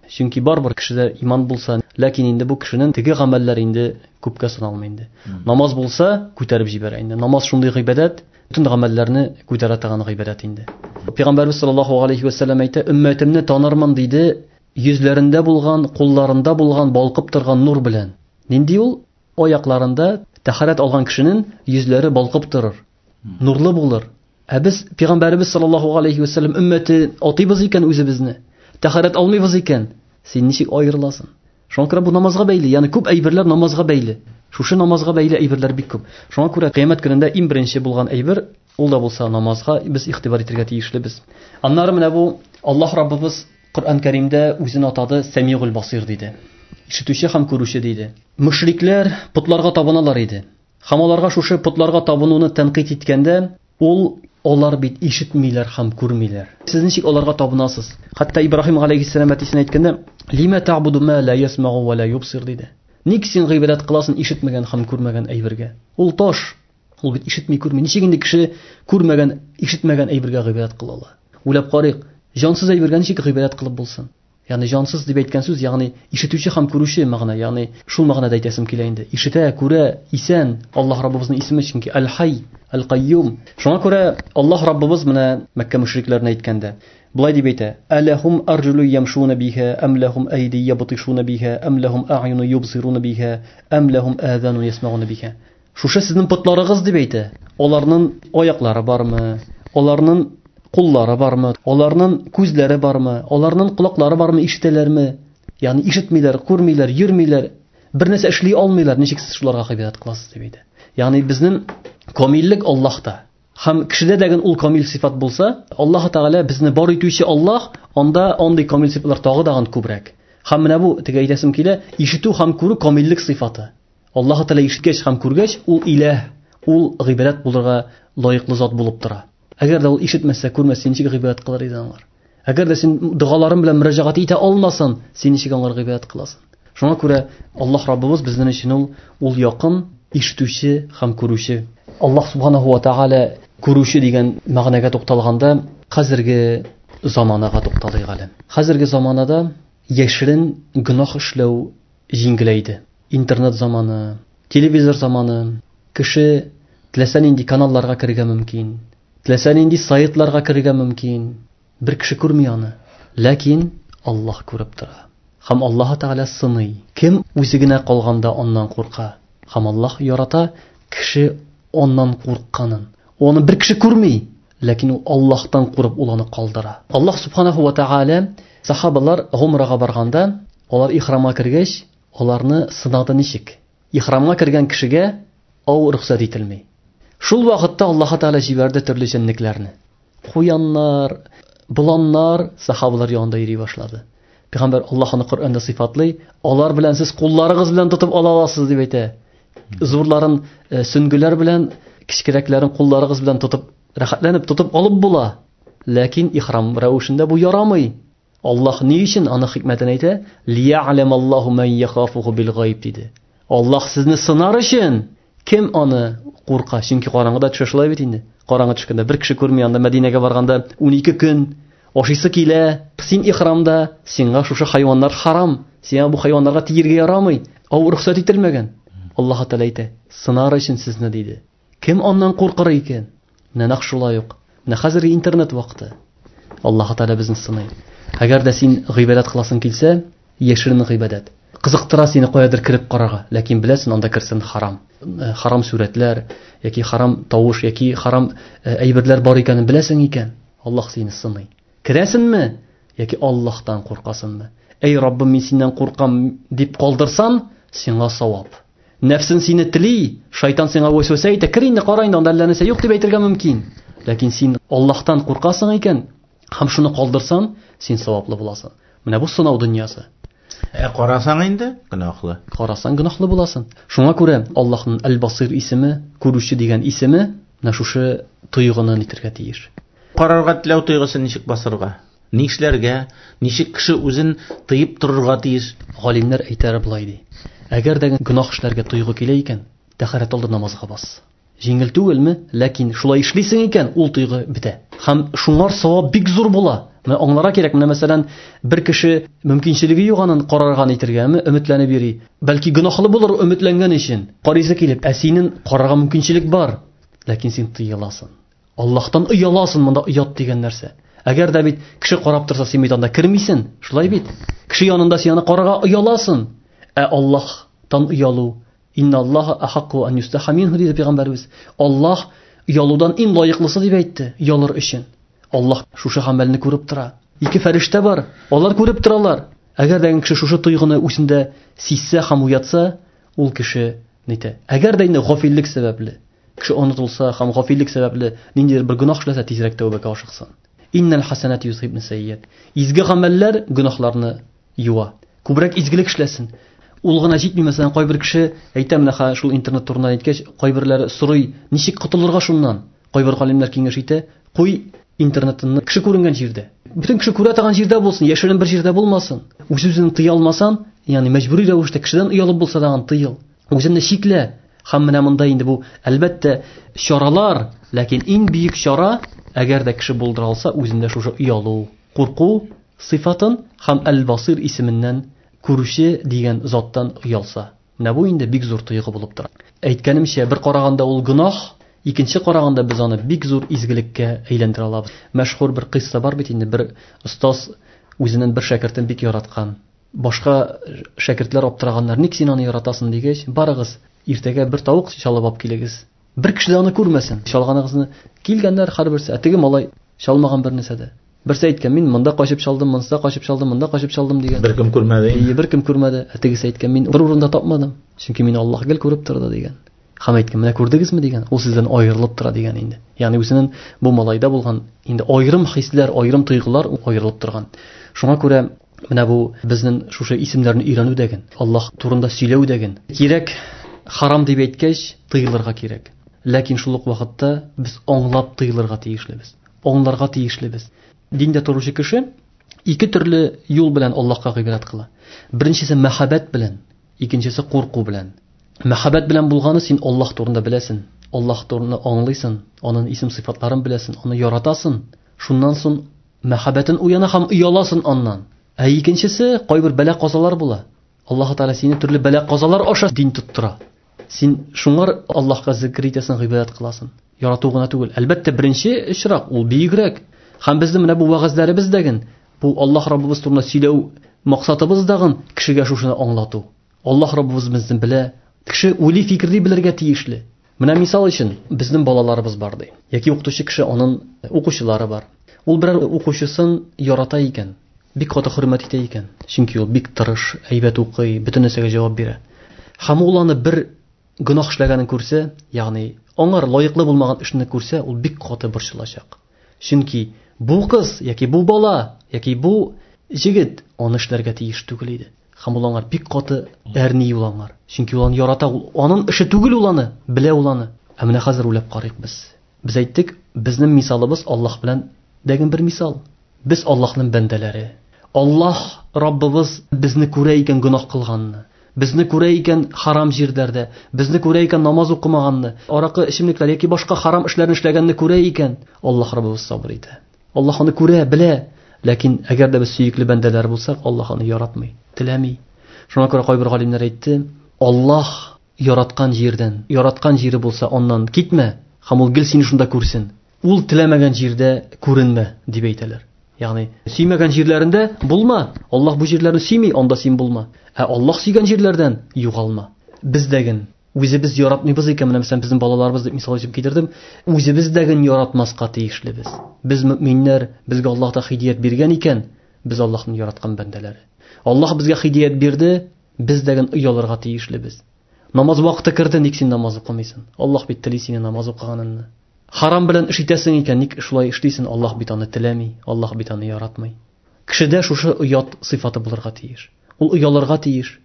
Чөнки барыбер кешедә иман булса, ләкин инде бу кешенең теге гамәлләре инде күпкә саналмый инде. Намаз булса, күтәреп җибәрә инде. Намаз шундый гыйбадәт, бөтен гамәлләрне күтәрә торган гыйбадәт инде. Пәйгамбәрбез саллаллаһу алейхи ва саллям әйтә, өммәтемне танырмын диде, йөзләрендә булган, кулларында булган балкып торган нур белән. Нинди ул? Аякларында тәһарәт алган кешенең йөзләре балкып торыр, нурлы булыр. Ә без Пәйгамбәребез саллаллаһу алейхи ва саллям өммәте атыйбыз икән үзебезне, тәһарәт алмыйбыз икән, син ничек аерыласың? Шуңа күрә бу намазга бәйле, ягъни күп әйберләр намазга бәйле. Шушы намазга бәйле әйберләр бик күп. Шуңа күрә кыямәт көнендә иң беренче булган әйбер, ул да булса намазга без игътибар итәргә тиешлебез. Аннары менә бу Аллаһ Раббыбыз Коръән Кәримдә үзен атады Сәмигул Басир диде. Ишетүче һәм күрүче диде. Мөшрикләр потларга табыналар иде. Һәм аларга шушы потларга табынуны тәнкыйть иткәндә, ул алар бит ишетмиләр һәм күрмиләр. Сез ничек аларга табынасыз? Хәтта Ибраһим алейхиссалам әтисенә әйткәндә, Лима та'буду ма ла ясмагу ва ла юбсир диде. Ник син гыйбадәт кыласың ишетмәгән һәм күрмәгән әйбергә? Ул таш. Ул бит ишетми, күрми. Ничек инде кеше күрмәгән, ишетмәгән әйбергә гыйбадәт кыла ала? Уйлап карыйк, җансыз әйбергә ничек гыйбадәт кылып булсын? Ягъни җансыз дип әйткән сүз, ягъни ишетүче һәм күрүче мәгънә, ягъни шул мәгънәдә әйтәсем килә инде. Ишетә, күрә, исән Аллаһ Раббыбызның исеме, чөнки Әл-Хай, Әл-Кайюм. Шуңа күрә Аллаһ Раббыбыз менә Мәккә мөшрикләренә әйткәндә, болай дип әйтә: Әләһум арҗулу ямшуна биһа, әм ләһум әйди ябтишуна биһа, әм ләһум а'юну юбсируна биһа, әм ләһум азану ясмауна биһа. Шушы сезнең потларыгыз дип әйтә. Аларның аяклары бармы? Аларның куллары бармы? Аларның күзләре бармы? Аларның колаклары бармы? Ишетәләрме? Ягъни ишетмиләр, күрмиләр, йөрмиләр, бер нәрсә эшли алмыйлар. Ничек сез шуларга гыйбадәт кыласыз дип әйтә. Ягъни безнең камиллек Аллаһта. Һәм кешедә дә ул камил сыйфат булса, Аллаһ Тәгалә безне бар итүче Аллаһ, анда андый камил сыйфатлар тагы да күбрәк. Һәм менә бу теге әйтәсем килә, ишетү һәм күрү камиллек сыйфаты. Аллаһ Тәгалә ишеткәч һәм күргәч, ул иләһ, ул гыйбадәт булырга лаеклы зат булып тора. Әгәр дә ул ишетмәсә, күрмәсә, ничек гыйбадәт кылыр иде аңар? Әгәр дә син догаларың белән мөрәҗәгать итә алмасаң, син ничек аңар гыйбадәт кыласың? Шуңа күрә Аллаһ Раббыбыз безнең өчен ул якын, ишетүче һәм күрүче. Аллаһ субханаһу ва тааля күрүче дигән мәгънәгә тукталганда, хәзерге заманага тукталыйк әле. Хәзерге заманада яшерен гөнаһ эшләү җиңеләйде. Интернет заманы, телевизор заманы, кеше теләсә нинди каналларга керергә мөмкин, теләсә нинди сайтларга керергә мөмкин. Бер кеше күрми аны. Ләкин Аллаһ күреп тора. Һәм Аллаһ Тәгалә сыный. Кем үзе генә калганда аннан курка. Һәм Аллаһ ярата кеше аннан курыкканын. Аны бер кеше күрми, ләкин ул Аллаһтан курып ул аны калдыра. Аллаһ субханаху ва тааля сахабалар гумрага барганда, алар ихрамга кергәч, аларны сынады ничек? Ихрамга кергән кешегә ау рөхсәт ителми. Шул вакытта Аллаһ Тәгалә җибәрде төрле җәнлекләрне. Куяннар, боланнар сахабалар янында йөри башлады. Пәйгамбәр Аллаһ аны Коръәндә сыйфатлый, алар белән сез кулларыгыз белән тотып ала аласыз дип әйтә. Зурларын сөңгеләр белән, кечкенәкләрен кулларыгыз белән тотып, рәхәтләнеп тотып алып була. Ләкин ихрам рәвешендә бу ярамый. Аллаһ ни өчен аны хикмәтен әйтә? Лия'ламаллаһу ман яхафуху бил гайб диде. Аллаһ сезне сынар өчен кем аны курка? Чөнки караңгыда төшә шулай бит инде. Караңгы төшкәндә бер кеше күрми, анда Мәдинәгә барганда 12 көн ашыйсы килә. Син ихрамда, сиңа шушы хайваннар харам. Сиңа бу хайваннарга тиергә ярамый. Ау рөхсәт ителмәгән. Аллаһ Тәгалә әйтә, сынар өчен сезне диде. Кем аннан куркыр икән? Менә нәкъ шулай ук. Менә хәзерге интернет вакыты. Аллаһ Тәгалә безне сыный. Әгәр дә син гыйбадәт кыласың килсә, яшерен гыйбадәт. Кызыктыра сине каядыр кереп карарга, ләкин беләсең, анда керсен харам. Харам сүрәтләр, яки харам тавыш, яки харам әйберләр бар икәнен беләсең икән, Аллаһ сине сыный. Керәсеңме, яки Аллаһтан куркасыңмы? Эй Раббым, мин синнән куркам дип калдырсан, сиңа савап. Нәфсен сине тели, шайтан сиңа вәсвәсә итә, кер инде, кара инде, анда әллә нәрсә юк дип әйтергә мөмкин. Ләкин син Аллаһтан куркасың икән, һәм шуны калдырсан, син саваплы буласың. Менә бу сынау дөньясы. Ә карасаң инде гөнаһлы. Карасаң гөнаһлы буласың. Шуңа күрә Аллаһның Әл-Басир исеме, күрүче дигән исеме менә шушы тойгыны нитергә тиеш. Карарга теләү тойгысын ничек басырга? Нишләргә? Ничек кеше үзен тыеп торырга тиеш? Галимнәр әйтәр болай ди. Әгәр дә гөнаһ эшләргә тойгы килә икән, тәһарәт алды намазга бас. Җиңел түгелме? Ләкин шулай эшлисең икән, ул тойгы бетә. Һәм шуңар савап бик зур була. Менә аңларга кирәк, менә мәсәлән, бер кеше мөмкинчелеге юк анын карарга нитергәме, өметләнеп йөри. Бәлки гөнаһлы булыр өметләнгән өчен. Карыйсы килеп, ә синең карарга мөмкинчелек бар, ләкин син тыеласың. Аллаһтан ояласың, монда оят дигән нәрсә. Әгәр дә бит кеше карап торса, син бит анда кермисең, шулай бит? Кеше янында син аны карарга ояласың. Ә Аллаһтан оялу, инналлаһа ахакку ан юстаха минһу диде пәйгамбәребез. Аллаһ оялудан иң лаеклысы дип әйтте, оялыр өчен. Аллаһ шушы гамәлне күреп тора. Ике фәрештә бар, алар күреп торалар. Әгәр дә кеше шушы тойгыны үзендә сизсә һәм уятса, ул кеше нитә. Әгәр дә инде гафиллек сәбәпле, кеше онытылса һәм гафиллек сәбәпле ниндидер бер гөнаһ эшләсә, тизрәк тәүбәгә ашыксын. Иннал хасанат юзхибна сайyiат. Изге гамәлләр гөнаһларны юа. Күбрәк изгелек эшләсен. Ул гына җитми, мәсәлән, кайбер кеше әйтә, менә шул интернет турында әйткәч, кайберләре сорый, ничек котылырга шуннан? Кайбер галимнәр киңәш итә, куй интернетны кеше күренгән җирдә. Бөтен кеше күрә торган җирдә булсын, яшерен бер җирдә булмасын. Үз-үзен тыя алмасан, ягъни мәҗбүри рәвештә кешедән оялып булса да аны тыел. Үзеңне чиклә. Һәм менә монда инде бу, әлбәттә, чаралар, ләкин иң бөек чара, әгәр дә кеше булдыра алса, үзендә шушы оялу, курку сыйфатын һәм Әл-Басир исеменнән күрүче дигән заттан оялса. Менә бу инде бик зур тойгы булып тора. Әйткәнемчә, бер караганда ул гөнаһ, икенче караганда без аны бик зур изгелеккә әйләндерә алабыз. Мәшһүр бер кыйсса бар бит инде, бер остаз үзенең бер шәкертен бик яраткан. Башка шәкертләр аптыраганнар, ник син аны яратасың дигәч, барыгыз, иртәгә бер тавык чалып алып килегез. Бер кеше дә аны күрмәсен. Чалганыгызны килгәннәр һәрберсе, ә теге малай чалмаган бер нәрсә дә. Берсе әйткән, мин монда качып чалдым, монда качып чалдым, монда качып чалдым дигән. Бер кем күрмәде. Ие, бер кем күрмәде. Ә тегесе әйткән, мин бер урында тапмадым, чөнки мине Аллаһ гел күреп торды дигән. Һәм әйткән, менә күрдегезме дигән, ул сездән аерылып тора дигән инде. Ягъни үзенең бу малайда булган инде аерым хисләр, аерым тойгылар аерылып торган. Шуңа күрә менә бу безнең шушы исемнәрне өйрәнү дәген, Аллаһ турында сөйләү дәген кирәк. Харам дип әйткәч, тыелырга кирәк. Ләкин шул ук вакытта без аңлап тыелырга тиешлебез. Аңларга тиешлебез. Диндә торучы кеше ике төрле юл белән Аллаһка гыйбадәт кыла. Беренчесе мәхәббәт белән, икенчесе курку белән. Мәхәббәт белән булганы син Аллаһ турында беләсең, Аллаһ турында аңлыйсың, аның исем сыйфатларын беләсең, аны яратасың. Шуннан соң мәхәббәтен уяна һәм ояласың аннан. Ә икенчесе кайбер бәла-казалар була. Аллаһ Тәгалә сине төрле бәла-казалар аша дин тоттыра. Син шуңар Аллаһка зикр итәсең, гыйбадәт кыласың. Ярату гына түгел. Әлбәттә, беренче очрак ул бөегрәк. Һәм безнең менә бу вәгазьләребез дәген, бу Аллаһ Раббыбыз турында сөйләү максатыбыз дагын кешегә шушыны аңлату. Аллаһ Раббыбыз безне белә. Кеше уйлый, фикерли белергә тиешле. Менә мисал өчен безнең балаларыбыз бар ди. Яки укытучы кеше аның укучылары бар. Ул берәр укучысын ярата икән, бик каты хөрмәт итә икән. Чөнки ул бик тырыш, әйбәт укый, бөтен нәрсәгә җавап бирә. Һәм ул аны бер гөнаһ эшләгәнен күрсә, ягъни аңар лаеклы булмаган эшне күрсә, ул бик каты борчылачак. Чөнки бу кыз яки бу бала яки бу җегет аны эшләргә тиеш түгел иде. Һәм ул аңар бик каты әрни ул аңар. Чөнки ул аны ярата, ул аның эше түгел ул аны, белә ул аны. Ә менә хәзер уйлап карыйк без. Без әйттек, безнең мисалыбыз Аллаһ белән дәген бер мисал. Без Аллаһның бәндәләре. Аллаһ Раббыбыз безне күрә икән гөнаһ кылганны, безне күрә икән харам җирләрдә, безне күрә икән намаз укымаганны, аракы эчемлекләр яки башка харам эшләрне эшләгәнне күрә икән, Аллаһ Раббыбыз сабыр итә. Аллаһ аны күрә, белә. Ләкин әгәр дә без сөекле бәндәләр булсак, Аллаһ аны яратмый, теләми. Шуңа күрә кайбер галимнәр әйтте, Аллаһ яраткан җирдән, яраткан җире булса, аннан китмә, һәм ул гел сине шунда күрсен. Ул теләмәгән җирдә күренмә, дип әйтәләр. Ягъни, сөймәгән җирләрендә булма. Аллаһ бу җирләрне сөйми, анда син булма. Ә Аллаһ сөйгән җирләрдән югалма. Без дәген үзебез яратмыйбыз икән, менә мәсәлән, безнең балаларыбыз дип мисал өчен китердем, үзебез дәген яратмаска тиешлебез. Без мөминнәр, безгә Аллаһ та һидият биргән икән, без Аллаһның яраткан бәндәләре. Аллаһ безгә һидият бирде, без дәген оялырга тиешлебез. Намаз вакыты керде, ник син намаз укымыйсың? Аллаһ бит тели сине намаз укыганыңны. Харам белән эш итәсең икән, ник шулай эшлисең? Аллаһ бит аны теләми, Аллаһ бит аны яратмый. Кешедә шушы оят сыйфаты булырга тиеш. Ул оялырга тиеш.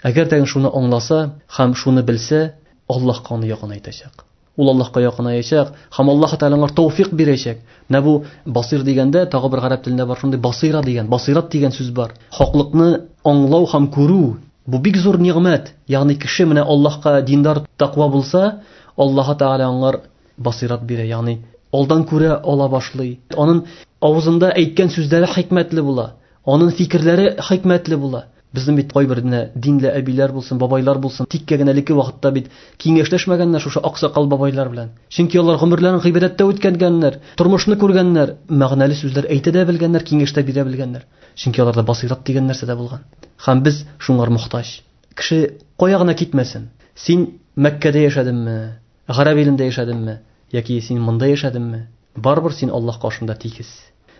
Әгәр дә шуны аңласа һәм шуны белсә, Аллаһка аны якынайтачак. Ул Аллаһка якынаячак һәм Аллаһ Тәгалә аңа тәүфик бирәчәк. Менә бу басир дигәндә тагы бер гарәп телендә бар шундый басира дигән, басират дигән сүз бар. Хаклыкны аңлау һәм күрү бу бик зур нигъмәт. Ягъни кеше менә Аллаһка диндар, тәкъва булса, Аллаһ Тәгалә аңар басират бирә, ягъни алдан күрә ала башлый. Аның авызында әйткән сүзләре хикмәтле була, аның фикерләре хикмәтле була. Безнең бит кайбер менә динле әбиләр булсын, бабайлар булсын, тиккә генә элекке вакытта бит киңәшләшмәгәннәр шушы аксакал бабайлар белән. Чөнки алар гомерләрен гыйбадәттә үткәргәннәр, тормышны күргәннәр, мәгънәле сүзләр әйтә дә белгәннәр, киңәш тә бирә белгәннәр. Чөнки аларда басират дигән нәрсә дә булган. Һәм без шуңар мохтаҗ. Кеше кая гына китмәсен. Син Мәккәдә яшәдеңме, Гарәп илендә яшәдеңме, яки син монда яшәдеңме, барыбер син Аллаһ каршында тигез.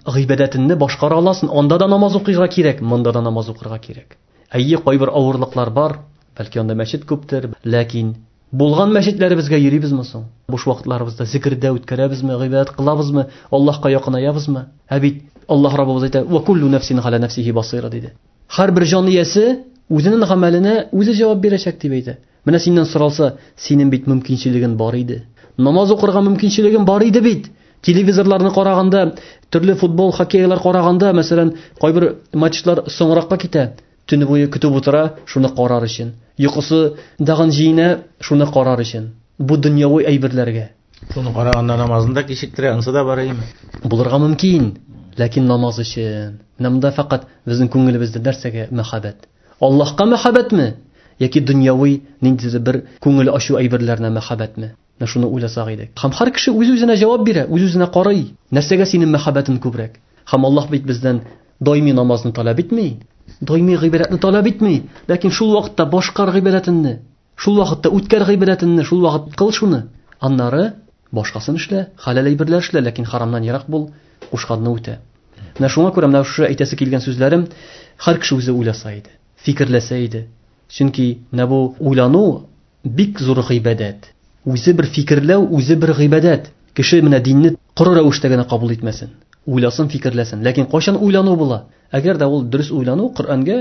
Гыйбадәтеңне башкара аласың, анда да намаз укырга кирәк, монда да намаз укырга кирәк. Әйе, кайбер авырлыклар бар, бәлки анда мәчет күптер, ләкин булган мәчетләребезгә йөрибезме соң? Буш вакытларыбызда зикердә үткәрәбезме, гыйбадәт кылабызмы, Аллаһка якынаябызмы? Ә бит Аллаһ Раббыбыз әйтә: "Ва куллу нафсин галя нафсихи басира" диде. Һәрбер җан иясе үзенең гамәленә үзе җавап бирәчәк дип әйтә. Менә синнән соралса, синең бит мөмкинчелегең бар иде. Намаз укырга мөмкинчелегең бар иде бит. Телевизорларны караганда, төрле футбол, хоккейлар караганда, мәсәлән, кайбер матчлар соңракка китә. Төне буе көтеп утыра, шуны карар өчен. Йокысы дагын җыена, шуны карар өчен. Бу дөньяви әйберләргә. Шуны караганда намазын да кичектерә, ансы да бар име? Булырга мөмкин, ләкин намаз өчен. Менә монда фәкать безнең күңелебездә нәрсәгә мәхәббәт? Аллаһка мәхәббәтме? Яки дөньяви ниндидер бер күңел ачу әйберләренә мәхәббәтме? Менә шуны уйласак идек. Һәм һәр кеше үз-үзенә җавап бирә, үз-үзенә карый. Нәрсәгә синең мәхәббәтең күбрәк? Һәм Аллаһ бит бездән даими намазны таләп итми, даими гыйбадәтне таләп итми, ләкин шул вакытта башкар гыйбадәтеңне, шул вакытта үткәр гыйбадәтеңне, шул вакыт кыл шуны. Аннары башкасын эшлә, хәләл әйберләр эшлә, ләкин харамнан ерак бул, кушканны үтә. Менә шуңа күрә менә шушы әйтәсе килгән сүзләрем һәр кеше үзе уйласа иде, фикерләсә иде. Чөнки менә бу уйлану бик зур гыйбадәт. Үзе бер фикерләү, үзе бер гыйбадәт. Кеше менә динне коры рәвештә генә кабул итмәсен. Уйласын, фикерләсен. Ләкин кайчан уйлану була? Әгәр дә ул дөрес уйлану Коръәнгә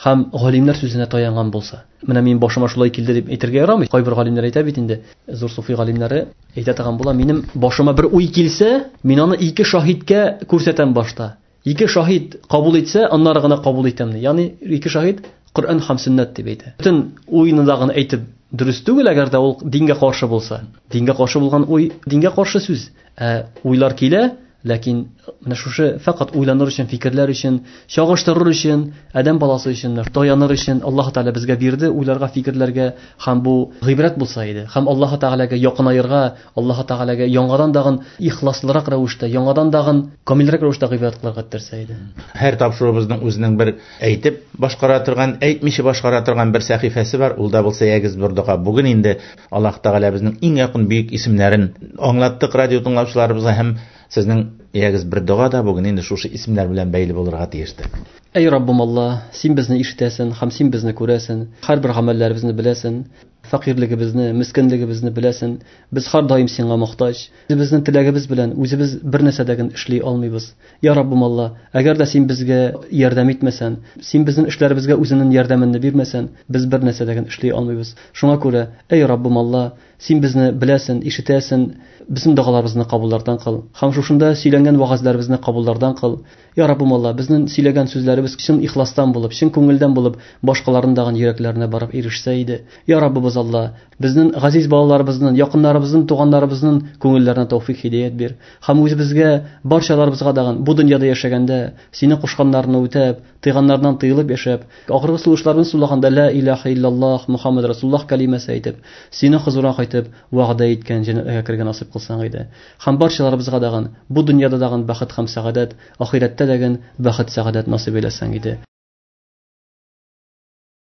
һәм галимнәр сүзенә таянган булса. Менә минем башыма шулай килде дип әйтергә ярамый. Кайбер галимнәр әйтә бит инде, зур суфи галимнәре әйтә торган була, минем башыма бер уй килсә, мин аны ике шаһиткә күрсәтәм башта. Ике шаһит кабул итсә, аннары гына кабул итәм ди. Ягъни ике шаһит Коръән һәм сөннәт дип әйтә. Бөтен уйны да гына әйтеп дөрес түгел, әгәр дә ул дингә каршы булса. Дингә каршы булган уй, дингә каршы сүз. Ә уйлар килә, ләкин менә шушы фәкать уйланыр өчен, фикерләр өчен, чагыштырыр өчен, адәм баласы өчен, таяныр өчен Аллаһ Тәгалә безгә бирде уйларга, фикерләргә һәм бу гыйбрәт булса иде. Һәм Аллаһ Тәгаләгә якынаерга, Аллаһ Тәгаләгә яңадан дагын ихласлырак рәвештә, яңадан дагын камилрәк рәвештә гыйбадәт кылырга этәрсә иде. Һәр тапшыруыбызның үзенең бер әйтеп башкара торган, әйтмичә башкара торган бер сәхифәсе бар, ул да булса ягез бер дога. Бүген инде Аллаһ Тәгалә безнең иң якын бөек исемнәрен аңлаттык радио тыңлаучыларыбызга һәм сезнең ягез бер дога да бүген инде шушы исемнәр белән бәйле булырга тиештер. Әй Раббым Аллаһ, син безне ишетәсең һәм син безне күрәсең, һәрбер гамәлләребезне беләсең. Фәкыйрьлегебезне, мескенлегебезне беләсен. Без һәрдаим сиңа мохтаҗ. Үзебезнең теләгебез белән үзебез бер нәрсә дә эшли алмыйбыз. Я Раббым Алла, әгәр дә син безгә ярдәм итмәсән, син безнең эшләребезгә үзеңнең ярдәмеңне бирмәсән, без бер нәрсә дә эшли алмыйбыз. Шуңа күрә, эй Раббым Алла, син безне беләсен, ишетәсен, безнең догаларыбызны кабуллардан кыл. Һәм шушында сөйләнгән вәгазьләребезне кабуллардан кыл. Я Раббым Алла, безнең сөйләгән сүзләребез чын ихластан булып, чын күңелдән булып, башкаларның дагын йөрәкләренә барып ирешсә иде. Я Раббыбыз Алла, безнең газиз балаларыбызның, якыннарыбызның, туганнарыбызның күңелләренә тәүфик һидәят бир. Һәм үзебезгә, барчаларыбызга дагын бу дөньяда яшәгәндә, синең кушканнарны үтәп, тыйганнардан тыелып яшәп, ахыргы сулышларны сулаганда ла илаһа иллаллаһ Мухаммад Расуллаһ кәлимәсе әйтеп, синең хозурыңа кайтып, вәгъдә иткән җәннәткә кергән насыйп кылсаң иде. Һәм барчаларыбызга дагын бу дөньяда дагын бәхет һәм сәгадәт, ахирәттә дәген бәхет сәгадәт насыйп әйләсәң иде.